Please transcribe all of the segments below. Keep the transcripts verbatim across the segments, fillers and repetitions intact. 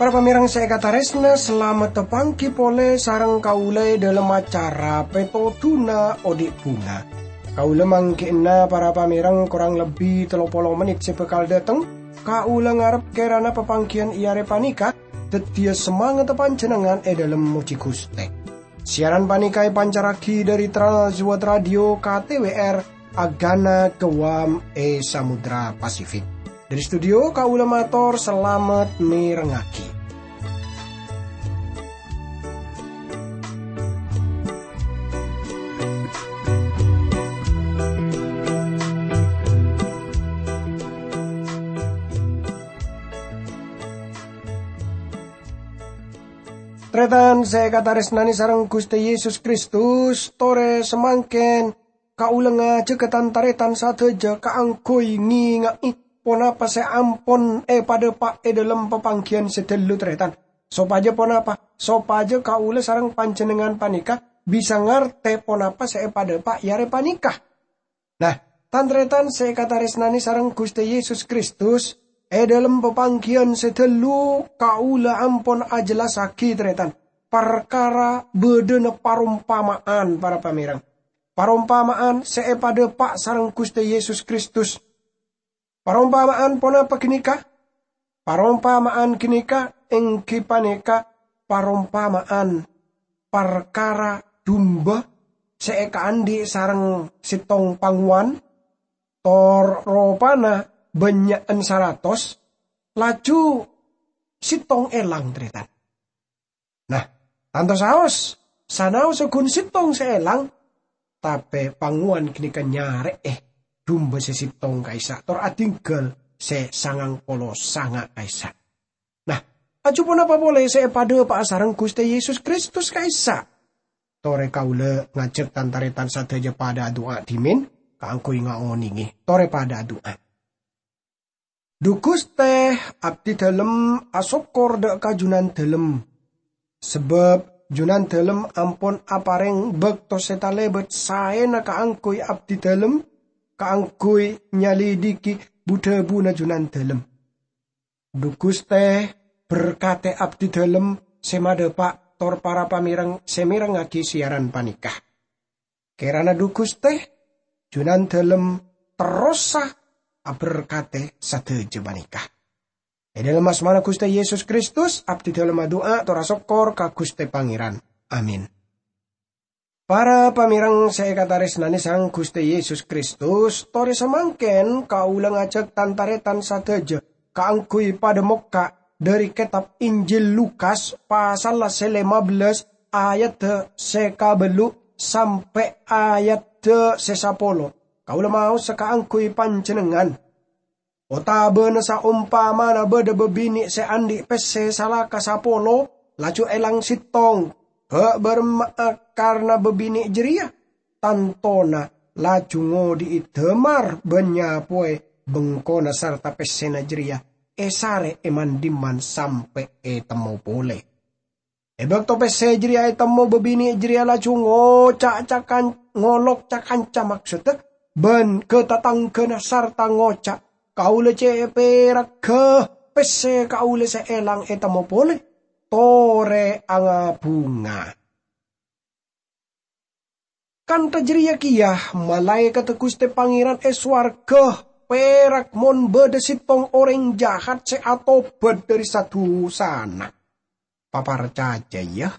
Para pamèrèng sè èkatarèsna, salamet panggi polè sareng kaulâ è dhâlem acara Pètodhuna Odi' Bhunga. Kaulâ mangghi'na para pamèrèng korang lebbi tello polo mennit sè bhâkal dâteng. Kaulâ ngarep kèrana papangghiyân è arè panèka dhâddhiyâ samangatta panjhennengngan è dhâlem mojhi Ghustè. Siaran panèka èpancarraghi dhâri Trans World Radio K T W R, Agana Guam è Samudra Pasifik. Dhâri studio, kaulâ mator salamet mèrengngaghi. Tarètan sè èkatarèsnanè sareng Ghustè Yesus Kristus, torè samangkèn kaulâ ngajhâghâ tan-tarètan sadhâjâ kaangghuy ngènga'è ponapa sè ampon èpadhâpa' è dhâlem papangghiyân sè ghâllu, tarètan. Sopajâ ponapa? Sopajâ kaulâ sareng panjhennengngan panèka bisa ngartè ponapa sè èpadhâpa' è arè panèka. Nah, tan-tarètan sè èkatarèsnanè sareng Ghustè Yesus Kristus, è dhâlem papangghiyân sè ghâllu kaulâ ampon ajhellassaghi, tarètan, parkara bâdâna parompama'an, para pamèrèng. Parompama'an sè èpadhâpa' sareng Ghustè Yesus Kristus. Parompama'an ponapa ghânèka? Parompama'an ghânèka èngghi panèka parompama'an parkara dumba sè èkaandhi' sareng sèttong pangowan, tor ropana bânnya'an saratos, laju sèttong èlang, tarètan. Nah, tanto saos, sanaossa ghun sèttong sè èlang, tapè pangowan ghânèka nyarè'è dumba sè sèttong ka'issa', tor adhingghâl sè sangang polo sanga' ka'issa'. Nah, laju ponapa polè sè èpadhâpa'a sareng Ghustè Yesus Kristus ka'issa'? Torè kaulâ ngajhâk tan-tarètan sadhâjâ padhâ adu'a dhimèn kaangghuy ngaonèngè. Torè padhâ adu'a. Dhu Ghustè, abdhi dhâlem asokkor dhâ' ka Jhunandhâlem. Sabâb Jhunandhâlem ampon aparèng bâkto sè talèbât saèna kaangghuy abdhi dhâlem, kaangghuy nyalidhighi bu-dhâbuna Jhunandhâlem. Dhu Ghustè, berkatè abdhi dhâlem sè madhâpa' tor para pamèrèng sè mèrengngaghi siaran panèka. Kèrana dhu Ghustè, Jhunandhâlem terrosa aberkatè sadhâjâ panèka. È dhâlem asmana Ghustè Yesus Kristus, abdhi dhâlem adu'a tor asokkor ka Ghustè Pangèran. Amin. Para pamèrèng sè èkatarèsnanè sareng Ghustè Yesus Kristus, torè samangkèn kaulâ ngajhâk tan-tarètan sadhâjâ kaangghuy padhâ mokka' dhâri kètab Injil Lukas, pasalla sè lèma bellâs, ayadda sè kabâllu' sampè' ayadda sè sapolo. Kaulâ maosa kaangghuy panjhennengngan. Otabâna saompamana bâdâ bâbinè' sè andi' pèssè sala ka sapolo, laju èlang sèttong. Bâ' bârâmma'a karna bâbinè' jârèya? Tantona laju ngodhi'i dâmar bân nyapoè bengkona sarta pèssèna jârèya èsarè è man-dimman sampè' ètemmo polè. È bâkto pèssè jârèya ètemmo, bâbinè' jârèya laju ngoca' cakan-, ngolok ca-kanca, maksodda, bân ka-tatangghâna sarta ngoca', "Kaulâ cè' pèragghâ, pèssè kaulâ sè èlang ètemmo polè, torè angabhunga." Kantha jârèya kèya malaèkatta Ghustè Pangèran è sowarghâ pèrak mon bâdâ sèttong orèng jahat sè atobhât dhâri sa-dusana. Paparcajâ, yâ.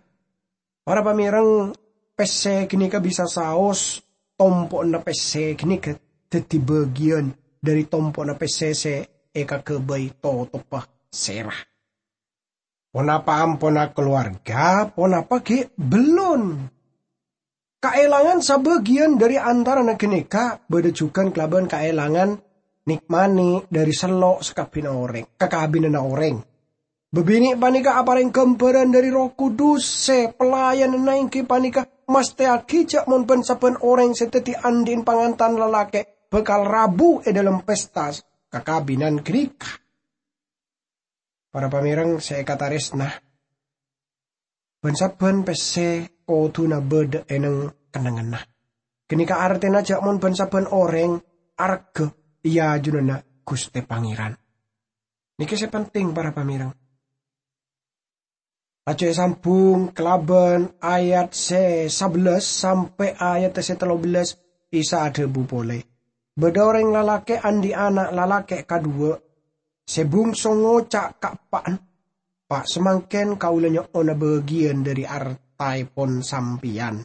Para pamèrèng, pèssè ghânèka bisa saos tompo'na pèssè ghânèka dhâddhi bâgiyân dhâri tompo'na pèssè sè èkaghâbây totobbhâ sèra. Ponapa ampon akalowarga, ponapa ghi' bellun? Kaèlangan sabâgiyân dhâri antarana ghânèka bâdâ jhughân kalabân kaèlangan nèk-manè dhâri sello' sakabbhina orèng, kakabinanna orèng. Bâbinè' panèka aparèng ghâmbhârân dhâri Erroh Kudus sè pelayananna èngghi panèka mastèyaghi jhâ' mon bân-sabbhân orèng sè dhâddhi andi'na pangantan lalakè' bhâkal rabu è dhâlem pesta kakabinan ghânèka. Para pamèrèng sè èkatarèsna, Bân-sabbhân pèssè kodhuna bâdâ è neng-kennengnganna. Ghânèka artèna jhâ' mon bân-sabbhân orèng arghâ è ajunanna Ghustè Pangèran. Nèka sè penting, para pamèreng. Laju èsambhung kalabân ayat sè sabellâs sampè' ayat sè tello bellâs, Isa adhâbu polè, "Bâdâ orèng lalakè' andi' ana' lalakè' kadhuwâ'. Sè bungso ngoca' ka eppa'na, 'Pa' samangkèn kaulâ nyo'ona bâgiyân dhâri artaèpon sampèyan.'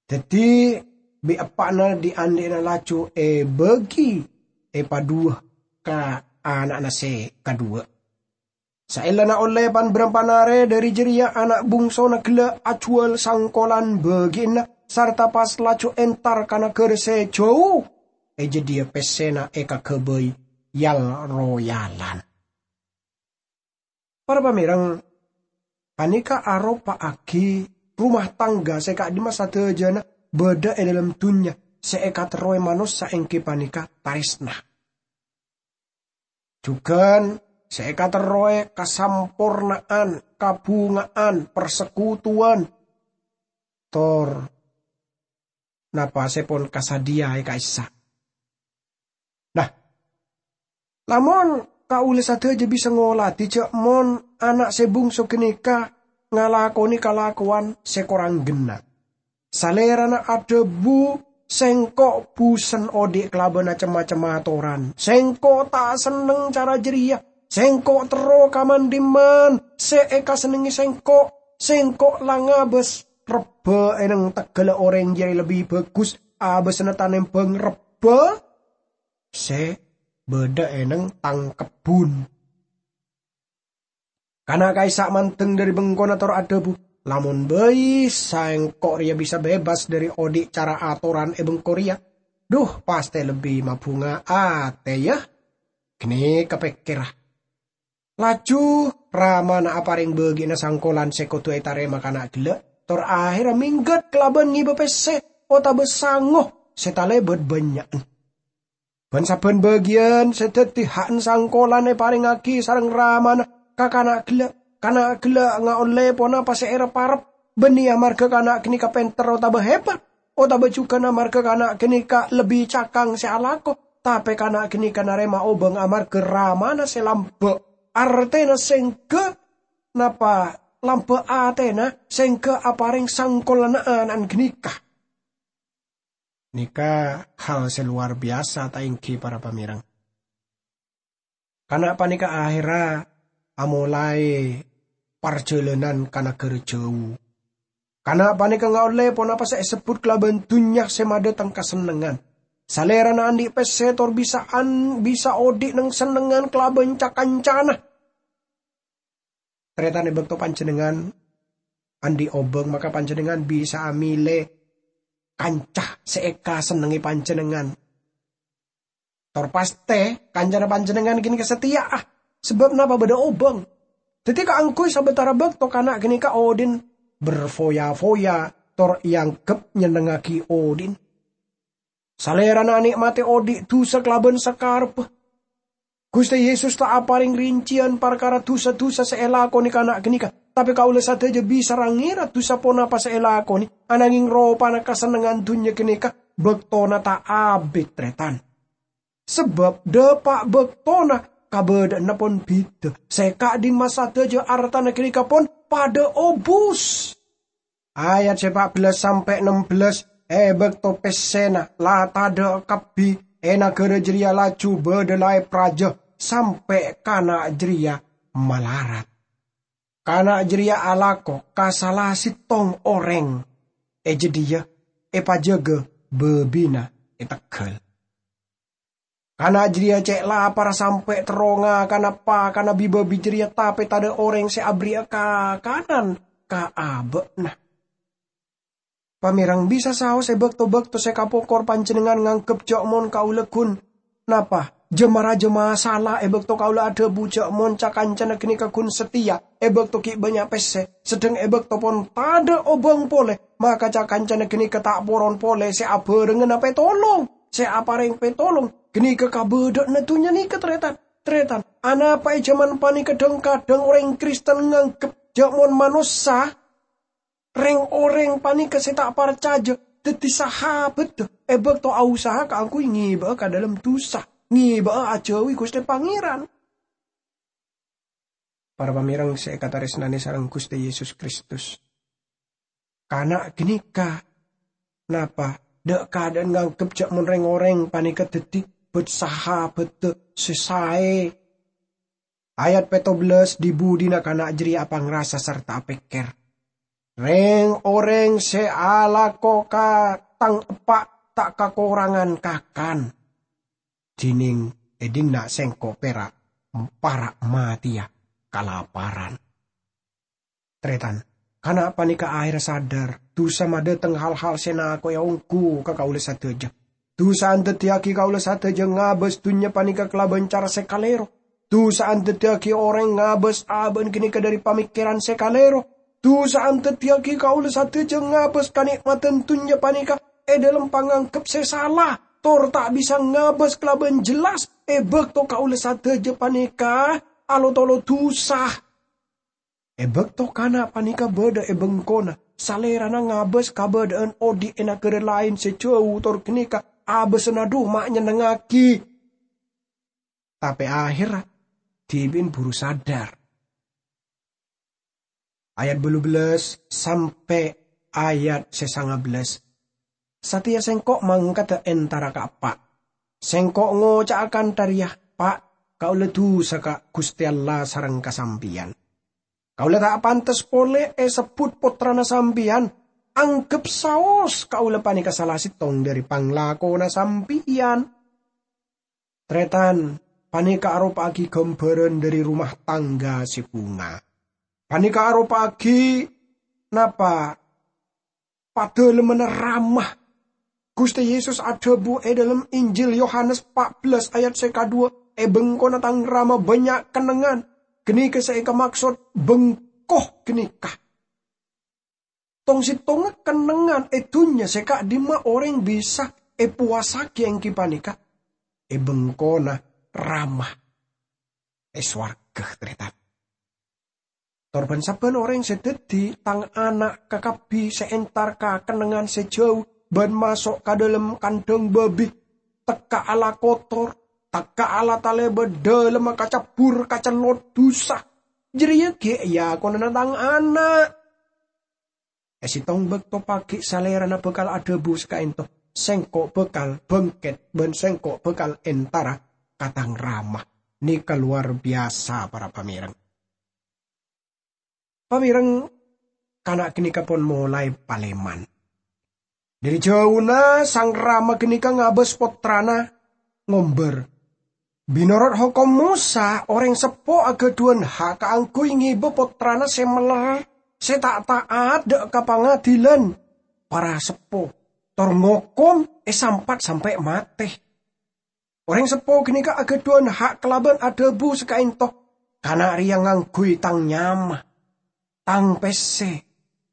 Dhâddhi, bi' eppa'na dhi'-andhi'na laju èbâgi èpadhuwâ ka ana'na sè kadhuwâ'. Saellana ollè pan-bârâmpan arè dhâri jârèya ana' bungsona ghellâ' ajhuwâl sangkolan bâgi'ânna, sarta pas laju entar ka naghârâ sè jhâu, è jâdiyâ pèssèna èkaghâbây yal-royalan." Para pamèreng, panèka aropa'aghi rumah tangga sè ka'dimma sadhâjâna bâdâ è dâlem dhunnya sè èkaterrowè manossa èngghi panèka tarèsna. Jhughân sè èkaterrowè kasamporna'an, kabhunga'an, parsekutuwan, tor napa sè pon kasadhiyâ è ka'issa'. Nah, lamon kaulâ sadhâjâ bisa ngoladhi jhâ' mon ana' sè bungso ghânèka ngalakonè kalakowan sè korang ghenna'. Salèrana adhâbu, "Sèngko' bhusen odhi' kalabân cem-macem atoran. Sèngko' ta' senneng cara jârèya. Sèngko' terro ka man-dhimman sè èkasennengngè sèngko'. Sèngko' la ngabâs rebbhâ è neng teggalla orèng jârèya lebbi bhâghus abâsana tanembhâng rebbhâ sè bâdâ è neng tang kebbhun." Kana' ka'issa' mandeng dhâri bengkona tor adhâbu, "Lamon bhâi sèngko' rèya bisa bebas dhâri odhi' cara atoran è bengko rèya, dhu, pastè lebbi mabhunga atè, yâ?" Ghânèka pèkkèrra. Laju ramana aparèng bâgi'na sangkolan sè kodhu ètarèma kana' ghellâ', tor ahèrra mèngghât kalabân ngèbâ pèssè otabâ sango sè talèbât bânnya'an. Bân-sabbhân bâgiyân sè dhâddhi ha'na sangkolan èparèngaghi sareng ramana ka kana' ghellâ'. Kana' ghellâ' ngaollè ponapa sè èrep-arep, bânnè amarghâ kana' ghânèka pènter otabâ hebat, otabâ jhughân amarghâ kana' ghânèka lebbi cakang sè alako, tapè kana' ghânèka narèma obâng amarghâ ramana sè lambâ', artèna sèngghâ napa lambâ' atèna sèngghâ aparèng sangkolanna ana'na ghânèka. Nèka hal sè lowar biyasa, ta' èngghi, para pamèreng? Kana' panèka ahèrra amolaè parjhâlânan ka naghârâ jhâu. Kana' panèka ngaollè ponapa sè èsebbhut kalabân dhunnya sè madâteng kasennengngan. Salèrana andi' pèssè tor bisa'an, bisa odhi' neng sennengngan kalabân ca-kancana. Tarètan, è bâkto panjhennengngan andi' obâng, maka panjhennengngan bisa'a mèlè kanca sè èkasennengngè panjhennengngan. Tor pastè kancana panjhennengngan ghânèka satèya'a, sabâb napa bâdâ obâng. Dhâddhi kaangghuy sabâtara bâkto kana' ghânèka odhi'na berfoya-foya tor èangghep nyennengngaghi odhi'na. Salèrana anè'matè odhi' dhusa kalabân sakarebbhâ. Ghustè Yesus ta' aparèng rincèyan parkara dhusa-dhusa sè èlakonè kana' ghânèka, tapè kaulâ sadhâjâ bisa ra-ngèra dhusa ponapa sè èlakonè, ananghing ropana kasennengngan dhunnya ghânèka bâktona ta' abit, tarètan. Sabâb dhâpa' bâktona kabâdâ'ânna pon bhidhâ, sè ka'dimma sadhâjâ artana ghânèka pon padâ obus. Ayat sè pa' bellâs sampè' nem bellâs, è bâkto pèssèna la tadâ' kabbhi, è naghârâ jârèya laju bâdâ laèp rajâ sampè' kana' jârèya malarat. Kana' jârèya alako ka sala sèttong orèng è jâdiyâ èpajâgâ bâbina è tegghâl. Kana' jârèya cè' lapar sampè' terro ngakana pakanna bi-bâbi jârèya, tapè tadâ' orèng sè aberri'a kakanan ka abâ'na. Pamèreng, bisa saos è bâkto-bâkto sè kapokor panjhennengngan nganggep jhâ' mon kaulâ ghun napa, jâ-marajâ masala è bâkto kaulâ adhâbu jhâ' mon ca-kancana ghânèka ghun satèya è bâkto ghi' bânnya' pèssè, sedheng è bâkto pon tadâ' obâng polè, maka ca-kancana ghânèka ta' poron polè sè abhârengngana pètolong, sè aparèng pètolong. Ghânèka kabâdâ'ânna dhunnya nèka, tarètan. Tarètan, anapa è jhâman panèka dhâng-kadhâng orèng Kristen nganggep jhâ' mon manossa Reng-oreng paneka se ta' parcaja daddi sahabatta e bakto ausaha kaangguy ngeba'a ka dhalem dusa, ngeba'a ajauwi Guste Pangeran. Para pamereng se ekataressnane sareng Guste Yesus Kristus, kana' ganeka napa dha'-kadha'an nganggep ja' mon reng-oreng paneka daddi bit-sahabatta se sae? Ayat petto bellas, dhi-budhina kana' jareya apangrasa sarta apekker, "Reng-oreng se alako ka tang eppa' ta' kakorangan kakan, dineng e dhinna' sengko' pera' para' mateya kalaparan." Taretan, kana' paneka aherra sadar, dusa madhateng hal-hal se nako'e onggu ka kaula sadaja. Dusa andaddiyagi kaula sadaja ngabas dunnya paneka kalaban cara se kalero. Dusa andaddiyagi oreng ngabas aba'an ganeka dhari pamekkeran se kalero. Dusa andaddiyagi kaula sadaja ngabas kane'matan dunnya paneka e dhalem panganggep se sala, tor ta' bisa ngabas kalaban jelas e bakto kaula sadaja paneka alotolo dusa. E bakto kana' paneka badha e bengkona, salerana ngabas kabadha'an odhi' e nagara laen se jau tor ganeka abasana dhu ma' nyennengngagi. Tape aherra, dhibi'en buru sadar. Ayat bâllu bellas sampe' ayat se sanga bellas. Sateya sengko' mangkada entara ka eppa'. Sengko' ngoca'a kantha reya, "Pa', kaula dusa ka Guste Allah sareng ka sampeyan. Kaula ta' pantes pole esebbut pottrana sampeyan. Anggep saos kaula paneka sala settong dhari panglakona sampeyan." Taretan, paneka aropa'agi gambaran dhari rumah tangga se bhunga. Paneka aropa'agi napa? Padalemmanna Rama. Guste Yesus adhabu e dhalem Injil Yohanes empat belas ayat se kadhuwa, "E bengkona Tang Rama bannya' kennengngan." Ganeka se ekamaksod bengko ganeka. Tong-settongnga kennengngan e dunnya se ka'dimma oreng bisa epowasagi enggi paneka e bengkona Rama e sowarga, taretan. Tor ban-sabban oreng se daddi tang ana' kakabbi se entar ka kennengngan se jau ban maso' ka dhalem kandhang babi, tekka' ala kotor, tekka' ala taleba dhalemma kacabbur kacellot dusa. Jareya gi' eakonana tang ana'. E settong bakto pagi' Salerana bakal adhabu sakaento, "Sengko' bakal bangket ban Sengko' bakal entara ka Tang Rama." Neka lowar biyasa, para pamereng. Pamereng, kana' ganeka pon molae paleman. Dhari jauna Sang Rama ganeka ngabas pottrana ngombar. Menorot hokom Mosa, oreng seppo agadhuwan ha' kaangguy ngeba pottrana se meller, se ta' ta'at dha' ka pangadilan para seppo, tor ngokom esampat sampe' mate. Oreng seppo ganeka agadhuwan ha' kalaban adhabu sakaento, "Kana' reya ngangguy tang nyama, tang pesse,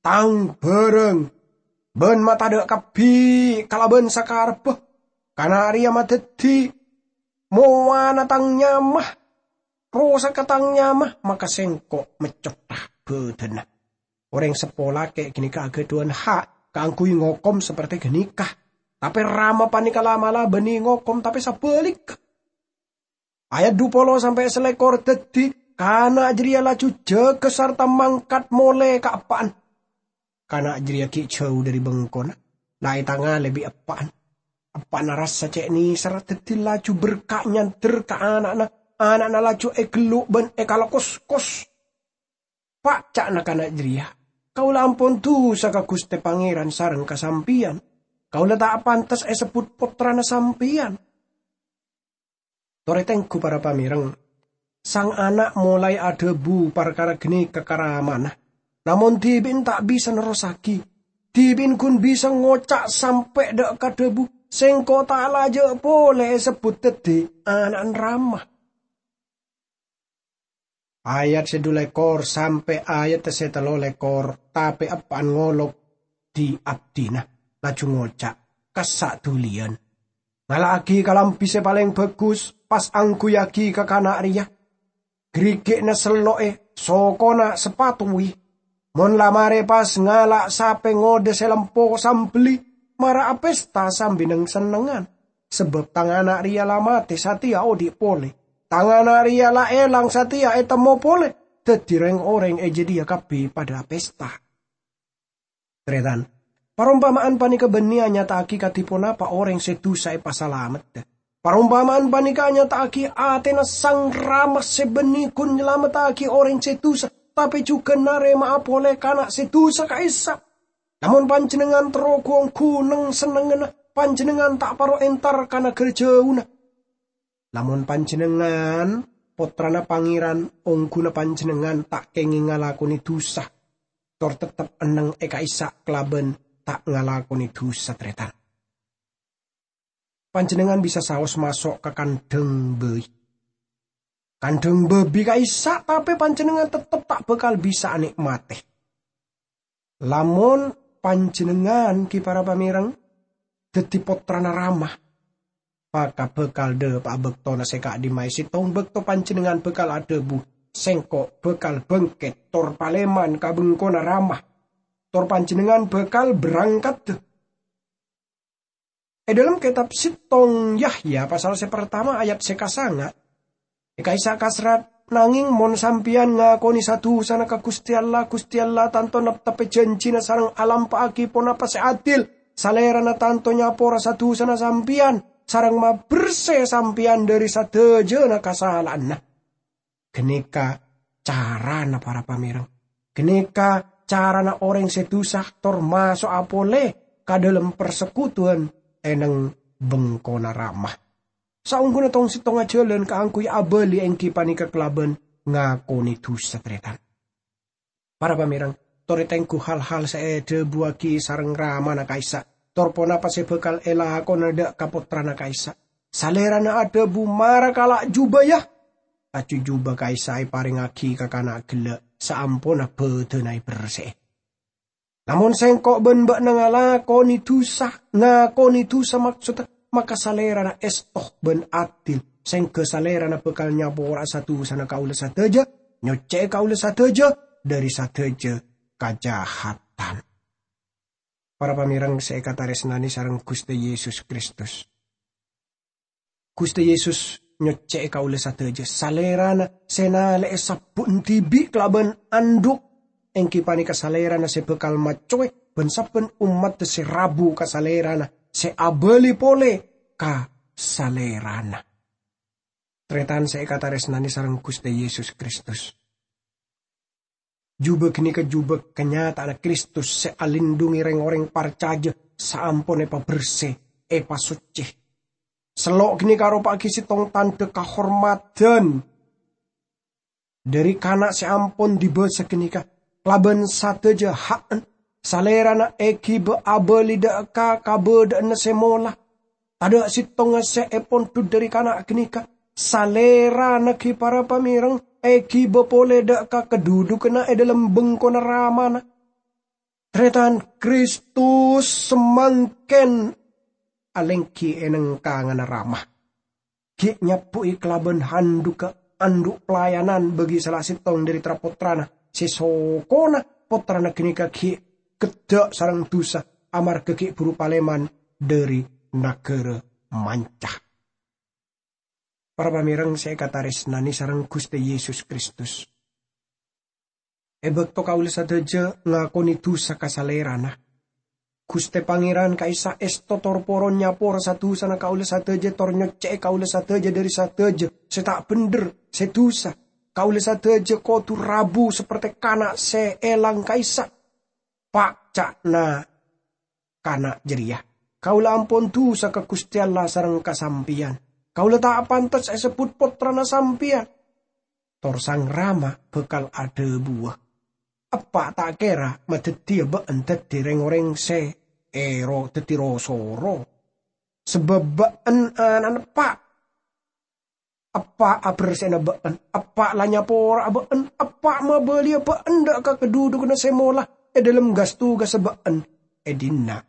tang barang, ban matadha' kabbi kalaban sakarebba. Kana' reya madaddi mowana tang nyama, rosaka tang nyama, maka sengko' meccotha badanna." Oreng seppo lake' ganeka agadhuwan ha' kaangguy ngokom saperte ganeka. Tape Rama paneka la-mala banne ngokom, tape sabalik. Ayat dhu polo sampe' salekor daddi, kana' jareya laju jaga sarta mangkat mole ka eppa'na. Kana' jareya gi' jau dhari bengkona, la etangale bi' eppa'na. Eppa'na rassa ce' neserra daddi laju berka' nyander ka ana'na. Ana'na laju egellu' ban ekalokoskos. "Pa'," ca'na kana' jareya, "kaula ampon dusa ka Guste Pangeran sareng ka sampeyan. Kaula ta' pantes esebbut pottrana sampeyan." Tore tenggu, para pamereng, sang ana' molae adhabu parkara ganeka ka ramana, namong dibi'na ta' bisa nerrossagi. Dibi'na gun bisa ngoca' sampe' dha' ka dhabu, "Sengko' ta' laja' pole esebbut daddi ana'na Rama." Ayat se dhu lekor sampe' ayat se tello lekor, tape eppa'na ngolok di abdina, laju ngoca', "Kassa' duliyan. Ngala'agi kalambi se paleng bagus, pas angguyyagi ka kana' reya. Garigi'na sello'e, sokona sapatowi. Mon la marè pas ngala' sapè ngodâ sè lempo sambelli, mara apesta sambi neng-sennengngan, sabâb tang ana' rèya la matè satèya odhi' polè. Tang ana' rèya la èlang satèya ètemmo polè, dhâddhi rèng-orèng è jâdiyâ kabbhi padâ apesta." Tarètan, parompama'an panèka bânnè anyata'aghi kadhi ponapa orèng sè dusa èpasalamedhâ. Parompama'an panèka anyata'aghi atèna Sang Rama sè bânnè ghun nyalamettaghi orèng sè dusa, tapè jhughân narèma'a polè kana' sè dusa ka'issa'. Lamon panjhennengngan terro gu-onggu neng-sennengnganna, panjhennengngan ta' parlo entar ka naghârâ jhâuna. Lamon panjhennengngan Pottrana Pangèran, ongghuna panjhennengngan ta' kèngèng ngalakonè dusa, tor tettep enneng è ka'issa' kalabân ta' ngalakonè dusa, tarètan. Panjhennengngan bisa saos maso' ka kandhâng bhâi. Kandhâng bhâbi ka'issa', tapè panjhennengngan tettep ta' bhâkal bisa anè'matè. Lamon panjhennengngan, ghi para pamèreng, dhâddhi pottrana Rama, maka bhâkal dhâpa'a bâktona sè ka'dimma'a è sèttong bâkto panjhennengngan bhâkal adhâbu, "Sèngko' bhâkal bângkèt tor palèman ka bengkona Rama, tor panjhennengngan bhâkal berangkaddhâ." È dhâlem kètab sèttong Yahya pasal sè partama ayat sè kasanga', è ka'issa' kaserrat, "Nangèng mon sampèyan ngakonè sa-dusana ka Ghustè Allah, Ghustè Allah tanto neptepè jhânjhina sareng alampa'aghi ponapa sè adil. Salèrana tanto nyapora sa-dusana sampèyan sareng mabersè sampèyan dhâri sadhâjâna kasala'anna." Ghânèka carana, para pamèreng. Ghânèka carana orèng sè dusa tor maso'a polè ka dhâlem parsekutuwân è neng bengkona Rama. Saongghuna tong-sèttongnga jhâlân kaangghuy abâli èngghi panèka kalabân ngakonè dusa, tarètan. Para pamèreng, torè tengghu hal-hal sè èdhâbuwaghi sareng Ramana ka'issa', tor ponapa sè bhâkal èlakonana dhâ' ka pottrana ka'issa'. Salèrana adhâbu, "Mara kala' jhubâ, yâ." Laju jhubâ ka'issa' èparèngaghi ka kana' ghellâ' saamponna bhâdhânna èbersè'è. "Lamon sèngko' bân bâ'na ngalakonè dusa, ngakonè dusa, maksodda, maka Salèrana èsto bân adil, sèngghâ Salèrana bhâkal nyapora'a sa-dusana kaulâ sadhâjâ, nyoccè'è kaulâ sadhâjâ dhâri sadhâjâ kajahadan." Para pamèreng sè èkatarèsnanè sareng Ghustè Yesus Kristus. Ghustè Yesus nyoccè'è kaulâ sadhâjâ. Salèrana sè nalè'è sabbu'na dhibi' kalabân andhu', èngghi panèka Salèrana sè bhâkal maccowè bân sabbhân ommaddhâ sè rabu ka Salèrana, sè abâli polè ka Salèrana. Tarètan sè èkatarèsnanè sareng Ghustè Yesus Kristus. Jhubâ ghânèka jhubâ kanyata'anna Kristus sè alindhungè rèng-orèng parcajâ saampon èpabersè, èpasoccè. Sello' ghânèka aropa'aghi sèttong tandhâ kahormadhân dhâri kana' sè ampon dibâsa ghânèka, kalabân sadhâjâ ha'na Salèrana èghibâ abâli dhâ' ka kabâdâ'ânna sè mola. Tadhâ' sèttongnga sè èpondhut dhâri kana' ghânèka. Salèrana ghi para pamèreng èghibâ polè dhâ' ka kadhudhughânna è dhâlem bengkona Ramana. Tarètan, Kristus samangkèn alèngghi è nengkanganna Rama. Ghi' nyabbu'i kalabân handhughâ andhu' pelayanan bagi sala sèttong dhâri tra-pottrana sè sokona pottrana ghânèka ghi' gheddhâ' sareng dusa, amarghâ ghi' buru palèman dhâri naghârâ manca. Para pamèreng sè èkatarèsnanè sareng Ghustè Yesus Kristus. È bâkto kaulâ sadhâjâ ngakonè dusa ka Salèrana, Ghustè Pangèran ka'issa' èsto tor poron nyapora sa-dusana kaulâ sadhâjâ tor nyoccè'è kaulâ sadhâjâ dhâri sadhâjâ sè ta' bhendher, sè dusa. Kaulâ sadhâjâ kodhu rabu saperte kana' sè èlang ka'issa'. Pa' ca'na kana' jârèya, "Kaulâ ampon dusa ka Ghustè Allah sareng ka sampèyan. Kaulâ ta' pantes èsebbhut pottrana sampèyan." Tor Sang Rama bhâkal adhâbuwâ, "Eppa' ta' kèra madhâddhiyâ bâ'na dhâddhi rèng-orèng sè èro-, dhâddhi ro-soro? Sabâb bâ'na ana'na Eppa'. Eppa' abersè'ana bâ'na, Eppa' la nyapora'a bâ'na, Eppa' mabâliyâ bâ'na dhâ' ka kadhudhughânna sè mola è dhâlem gas-togassa bâ'na è dinna'."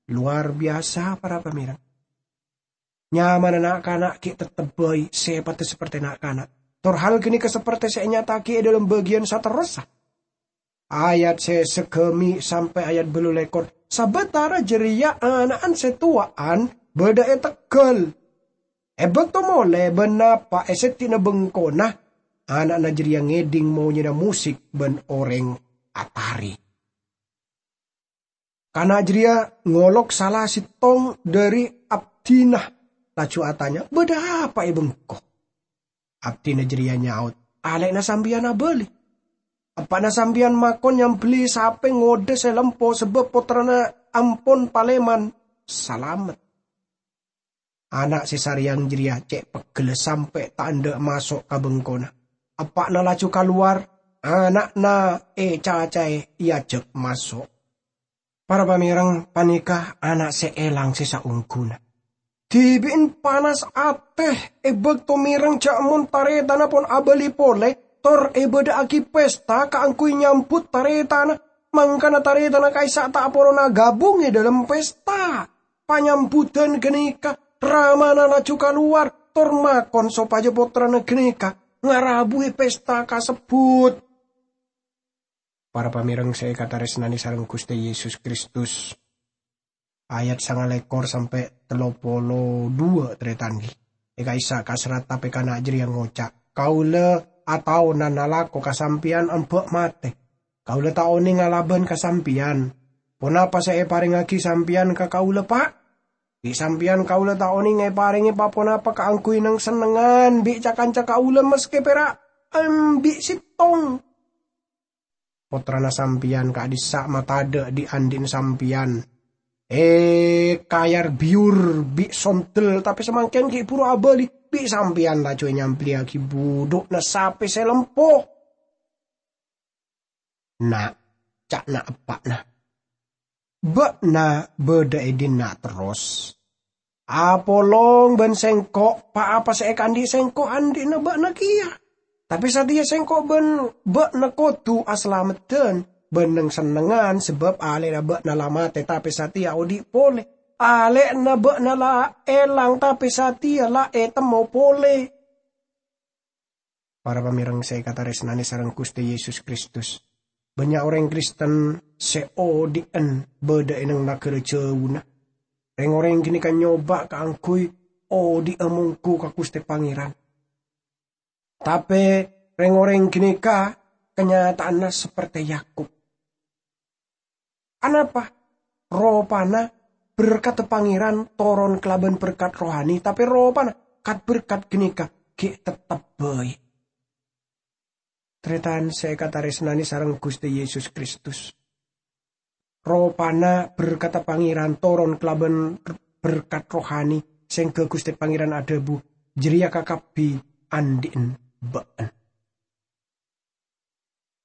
Lowar biyasa, para pamèreng. Nyamana na'-kana' ghi' teptep bhâi sèpatta saperte na'-kana'. Tor hal ghânèka saperte sè ènyata'aghi è dhâlem bâgiyân saterrossa. ayat sè sagâmè' sampè' ayat bâllu lèkor. Sabâtara jârèya ana'na sè towa'an bâdâ è tegghâl. È bâkto molè bân napa' è sèddhina bengkona, ana'na jârèya ngèdhing monyèna mosik bân orèng atarè. Kana' jârèya ngolok sala sèttong dhâri abdhina, laju atanya, "Bâdâ apa è bengko?" Abdhina jârèya nyaot, "Alè'na sampèyan abâli. Eppa'na sampèyan makon nyambelli sapè ngodâ sè lempo sabâb pottrana ampon palèman salamet." Ana' sè sarèyang jârèya cè' peggella sampè' ta' endâ' maso' ka bengkona. Eppa'na laju kalowar, ana'na ècacaè èajhâk maso'. Para pamèreng, panèka ana' sè èlang sè saongghuna. Dhibi'en panas atè è bâkto mèreng jâ' mon tarètanna pon abâli polè, tor èbâdâ'aghi pesta kaangghuy nyambut tarètanna, mangkana tarètanna ka'issa' ta' poron agabung è dâlem pesta. Panyambuddhân ghânèka, ramana laju kalowar, tor makon sopajâ pottrana ghânèka ngarabuwi pesta kasebbhut. Para pamèreng sè èkatarèsnanè sareng Ghustè Yesus Kristus, ayat sangalèkor sampè' tello polo duwâ', tarètan. È ka'issa' kasrat tapè kana' jârèya ngoca', "Kaulâ ataonan alako ka sampèyan emba' matè. Kaulâ ta' onèng alabân ka sampèyan. Ponapa sè èparèngaghi sampèyan ka kaulâ, Pa'? Bi' sampèyan kaulâ ta' onèng èparèngè pa-ponapa kaangghuy neng-sennengngan bi' ca-kanca kaulâ, maskè pèra' embi' sèttong." Pottrana sampèyan ka'dhissa' matadâ' dhi'-andhi'na sampèyan. Èkayar biyur bi' sondel, tapè samangkèn ghi' bhuru abâli, bi' sampèyan laju ènyambelliyaghi budhu'na sapè sè lempo. "Na'," ca'na eppa'na, "bâ'na bâdâ è dinna' terros? Apolong bân sèngko', pa-apa sè èkaandhi' sèngko' andhi'na bâ'na kèya. Tapè satèya sèngko' bân bâ'na kodhu asalameddhân bân neng-sennengngan, sabâb alè'na bâ'na la matè tapè satèya odhi' polè. Alè'na bâ'na la èlang tapè satèya la ètemmo polè." Para pamèreng sè èkatarèsnanè sareng Ghustè Yesus Kristus, bânnya' orèng Kristen sè odhi'en bâdâ è neng naghârâ jhâuna. Rèng-orèng ghânèka nyoba kaangghuy odhi'â mongghu ka Ghustè Pangèran. Tapè rèng-orèng ghânèka kanyata'anna sapertè Yakub. Anapa? Ropana berkatta Pangèran toron kalabân berkat rohani, tapè ropana kat-berkat ghânèka ghi' tettep bhâi. Tarètan sè èkatarèsnanè sareng Ghustè Yesus Kristus, ropana berkatta Pangèran toron kalabân berkat rohani, sèngghâ Ghustè Pangèran adhâbu, "Jârèya kakabbhi andhi'en bâ'en."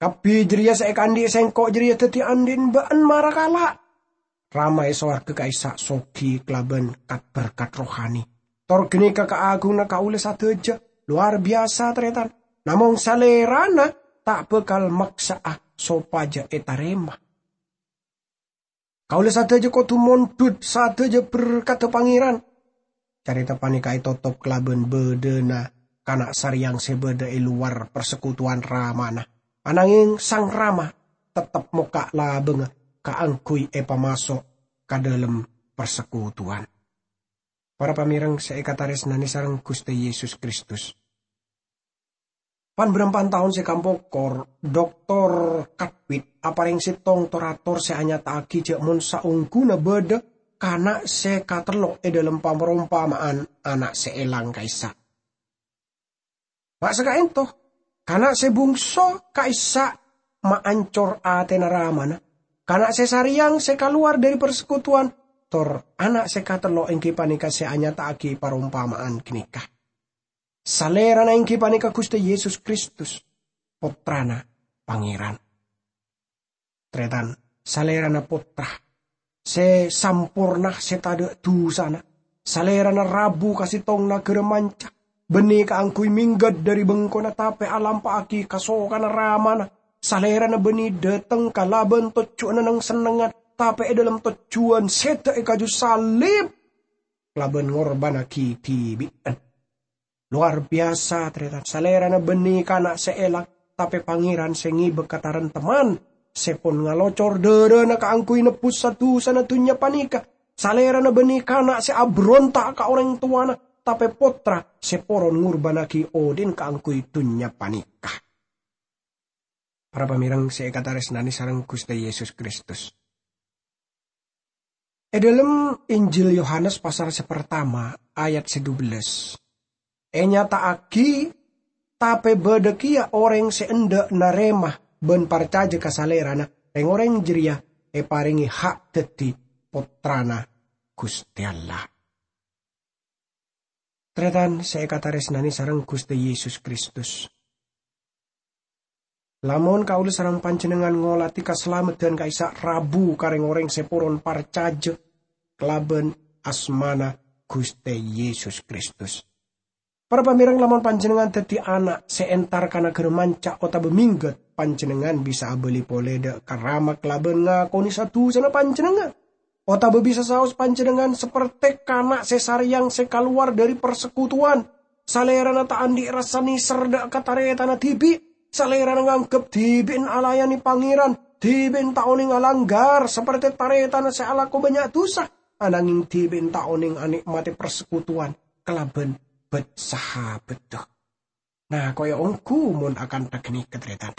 Kabbhi jârèya sè èkaandhi' sèngko' jârèya dhâddhi andhi'en bâ'en mara kala'. Rama è sowarghâ ka'issa' soghi kalabân kat-berkat rohani. Tor ghânèka kaagunganna kaulâ sadhâjâ, lowar biyasa, tarètan. Namong Salèrana ta' bhâkal maksa'a sopajâ ètarèma. Kaulâ sadhâjâ kodhu mondhut sadhâjâ berkatta Pangèran. Carèta panèka ètotop kalabân bâdâna kana' sarèyang sè bâdâ è lowar parsekutuwan ramana. Anangèng Sang Rama tettep mokka' labângnga kaangghuy èpamaso' ka dâlem parsekutuwan. Para pamèreng sè èkatarèsnanè sareng Ghustè Yesus Kristus. Pan-bârâmpan taon sè kampokor, Doktor Katwit aparèng sèttong tor-ator sè anyata'aghi jâ' mon saongghuna bâdâ kana' sè katello' è dâlem parompama'an ana' sè èlang ka'issa'. Ma' saka'ènto, kana' sè bungso ka'issa' maancor atèna ramana, kana' sè sarèyang sè kalowar dhâri parsekutuwan, tor ana' sè katello' èngghi panèka sè anyata'aghi parompama'an ghânèka. Salèrana èngghi panèka Ghustè Yesus Kristus, Pottrana Pangèran. Tarètan, Salèrana Pottra sè samporna, sè tadâ' dusana. Salèrana rabu ka sèttong naghârâ manca, bânnè kaangghuy mèngghât dhâri bengkona tapè alampa'aghi kasokanna Ramana. Salèrana bânnè dâteng kalabân tojjhuwânna neng-sennengngan, tapè è dâlem tojjhuwân sèdhâ è kaju salib kalabân ngorbhânnaghi dhibi'en. Lowar biyasa, tarètan. Salèrana bânnè kana' sè èlang, tapè Pangèran sè ngèbâ kataremtemman sè pon ngalocor dârâna kaangghuy nebbhus sa-dusana dhunnya panèka. Salèrana bânnè kana' sè aberonta' ka orèng towana, tapè pottra sè poron ngorbânnaghi odhi'na kaangghuy dhunnya panèka. Para pamèreng sè èkatarèsnanè sareng Ghustè Yesus Kristus. È dhâlem Injil Yohanes pasal sè partama ayat sè dubellâs, ènyata'aghi, tapè bâdâ kèya orèng sè endâ' narèma bân parcajâ ka Salèrana, rèng-orèng jârèya èparèngè ha' dhâddhi pottrana Ghustè Allah. Tarètan sè èkatarèsnanè sareng Ghustè Yesus Kristus. Lamon kaulâ sareng panjhennengngan ngolatè kasalameddhân ka'issa' rabu ka rèng-orèng sè poron parcajâ kalabân asmana Ghustè Yesus Kristus. Para pamèreng, lamon panjhennengngan dhâddhi ana' sè entar ka naghârâ manca otabâ mèngghât, panjhennengngan bisa abâli polè dâ' ka Rama kalabân ngakonè sa-dusana panjhennengngan. Otabâ bisa saos panjhennengngan saperte kana' sè sarèyang sè kalowar dhâri parsekutuwan. Salèrana ta' andi' rassa nèser dâ' ka tarètanna dhibi'. Salèrana nganggep dhibi'na alayanè Pangèran, dhibi'na ta' onèng alangghâr saperte tarètanna sè alako bânnya' dusa, ananghing dhibi'na ta' onèng anè'matè parsekutuwan kalabân bât-sahabbhâddhâ. Nah, koya ongghu mon akantha ghânèka, tarètan.